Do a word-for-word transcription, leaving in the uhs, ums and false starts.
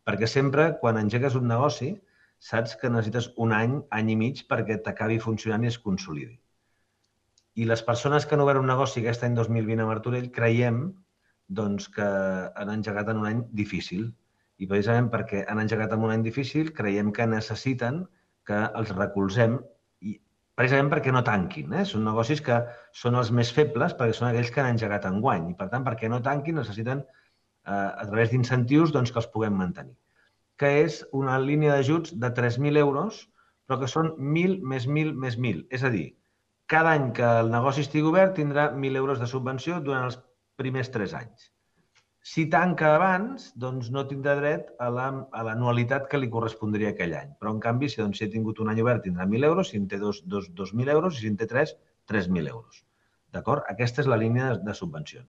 Perquè sempre, quan engegues un negoci, saps que necessites un any, any i mig perquè t'acabi funcionant i es consolidi. I les persones que han obert un negoci aquest any dos mil vint a Martorell creiem doncs, que han engegat en un any difícil. I precisament perquè han engegat en un any difícil, creiem que necessiten que els recolzem, i precisament perquè no tanquin. Eh? Són negocis que són els més febles perquè són aquells que han engegat enguany. I per tant, perquè no tanquin, necessiten, eh, a través d'incentius, doncs, que els puguem mantenir. Que és una línia d'ajuts de tres mil euros, però que són mil més mil més mil. És a dir, cada any que el negoci estigui obert tindrà mil euros de subvenció durant els primers tres anys. Si tanca abans, doncs no tindrà dret a l'anualitat que li correspondria aquell any. Però, en canvi, si, doncs, si ha tingut un any obert, tindrà mil euros, si en té dos, dos, dos mil euros, i si en té tres, tres mil euros. D'acord? Aquesta és la línia de subvencions.